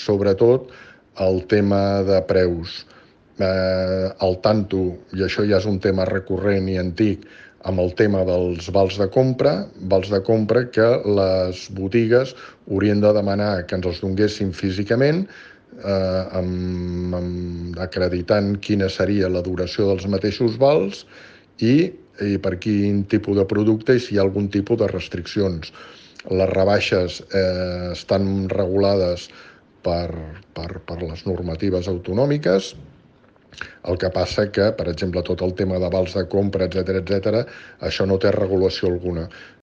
sobretot el tema de preus. Al tanto, i això ja és un tema recurrent i antic, amb el tema dels vals de compra que les botigues haurien de demanar que ens els donguessin físicament, acreditant quina seria la duració dels mateixos vals i per quin tipus de producte i si hi ha algun tipus de restriccions. Les rebaixes estan regulades per les normatives autonòmiques. El que passa que, per exemple, tot el tema de vals de compra, etc., això no té regulació alguna.